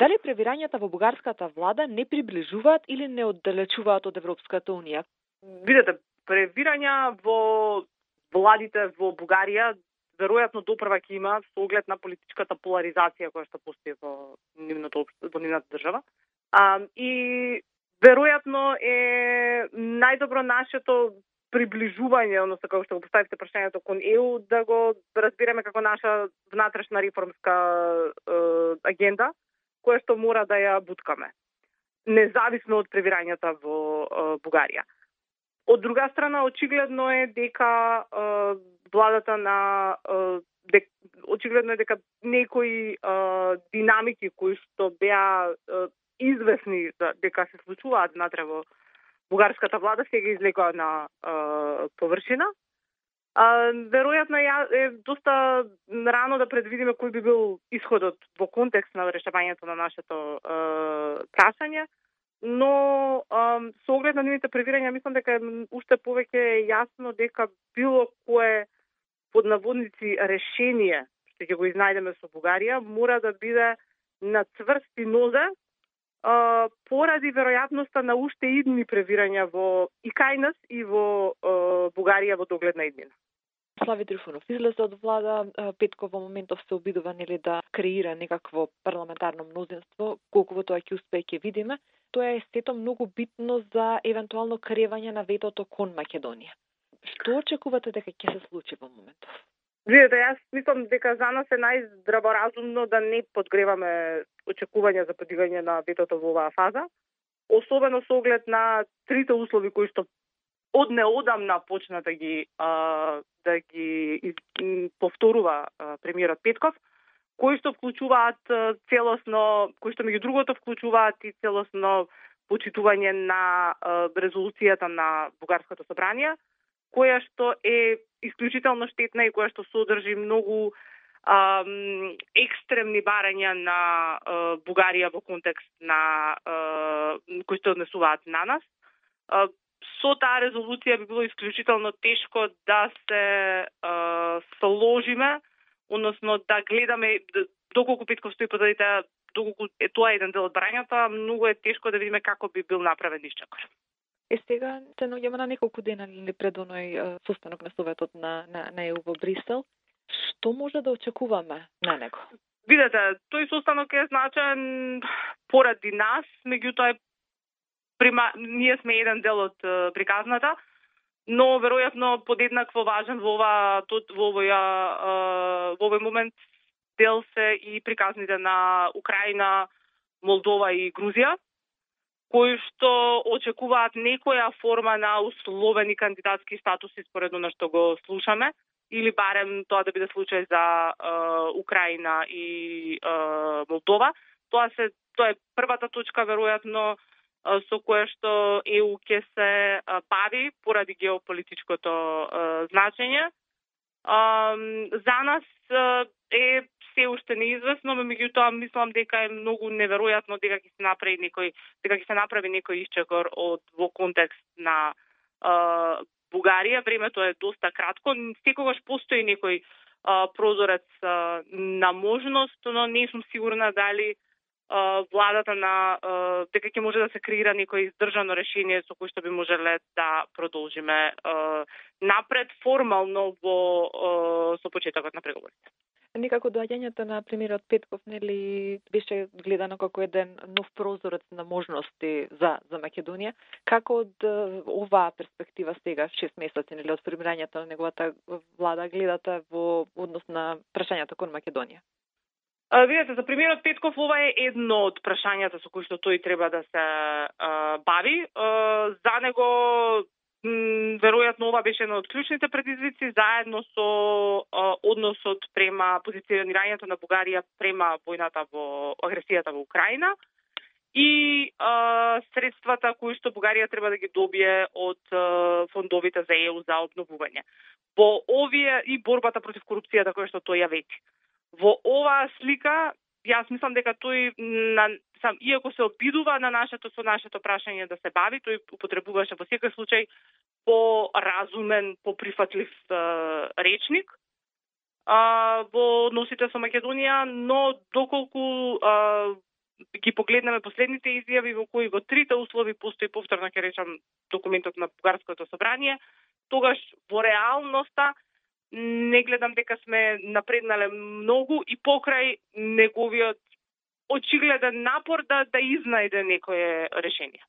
Дали превирањата во бугарската влада не приближуваат или не оддалечуваат од Европската унија? Видете, превирања во владите во Бугарија веројатно допрва ќе има со оглед на политичката поларизација која што постои во нивната држава. И веројатно е најдобро нашето приближување, односно како што го поставите прашањето кон ЕУ, да го разбереме како наша внатрешна реформска агенда, која што мора да ја буткаме, независно од превирањата во Бугарија. Од друга страна, очигледно е дека владата на очигледно е дека некои динамики кои што беа известни дека се случуваат внатре во бугарската влада сега излегува на површина. Веројатно е доста рано да предвидиме кој би бил исходот во контекст на решавањето на нашето прашање, но со оглед на нивните превирања мислам дека уште повеќе јасно дека било кое под наводници решение што ќе го изнајдеме со Бугарија мора да биде на цврсти нозе поради веројатноста на уште идни превирања во и кај нас и во Бугарија во догледна иднина. Слави Трифунов излезе од влада, Петков во моментов се обидува да креира некакво парламентарно мнозинство, колку во тоа ќе успее ќе видиме. Тоа е сето многу битно за евентуално кревање на ветото кон Македонија. Што очекувате дека ќе се случи во моментов? Видете, јас мислам дека за нас е најздраворазумно да не подгреваме очекувања за подигање на ветото во оваа фаза, особено со оглед на трите услови кои што од неодамна почна да ги повторува премиерот Петков, кои што вклучуваат целосно, кои што меѓу другото вклучуваат и целосно почитување на резолуцијата на Бугарското собрание, која што е исклучително штетна и која што содржи многу екстремни барања на Бугарија во контекст на кои што однесуваат на нас. Со таа резолуција би било исклучително тешко да се сложиме, односно да гледаме доколку Петков стои позадите, доколку тоа е еден дел од барањата, многу е тешко да видиме како би бил направен исчекор. Сега се наоѓаме на неколку дена пред оној состанок на Советот на ЕУ во Брисел. Што може да очекуваме на него? Видете, тој состанок е значаен поради нас, меѓутоа ние сме еден дел од приказната, но веројатно подеднакво важен во овој момент дел се и приказните на Украина, Молдова и Грузија, кои што очекуваат некоја форма на условени кандидатски статуси според она што го слушаме, или барем тоа да биде случај за Украина и Молдова. Тоа е првата точка веројатно со која што ЕУ ќе се бави поради геополитичкото значење. За нас е се уште неизвестно, меѓутоа мислам дека е многу неверојатно дека ќе се направи некој исчекор во контекст на Бугарија. Времето е доста кратко, секогаш постои некој прозорец на можност, но не сум сигурна дали владата дека ќе може да се креира некој издржано решение со кој што би можеле да продолжиме напред формално со почетокот на преговорите. Некако доаѓањето на премиерот Петков беше гледано како еден нов прозорец на можности за Македонија. Како од оваа перспектива сега 6 месеци од формирањето на неговата влада гледате во однос на прашањето кон Македонија? Видете, за премиерот Петков ова е едно од прашањата со кои што тој треба да се бави. За него веројатно ова беше едно од клучните предизвици, заедно со односот према позиционирањето на Бугарија према војната во агресијата во Украина и средствата кои што Бугарија треба да ги добие од фондовите за ЕУ за обновување. Во овие и борбата против корупцијата која што тој ја вети. Во оваа слика, јас мислам дека тој, иако се обидува со нашето прашање да се бави, тој употребуваше во секој случај по-разумен, по-прифатлив речник во односите со Македонија, но доколку ги погледнеме последните изјави во кои во трите услови постои повторно ќе речам документот на Бугарското собрание, тогаш во реалноста не гледам дека сме напреднале многу и покрај неговиот очигледен напор да изнајде некое решение.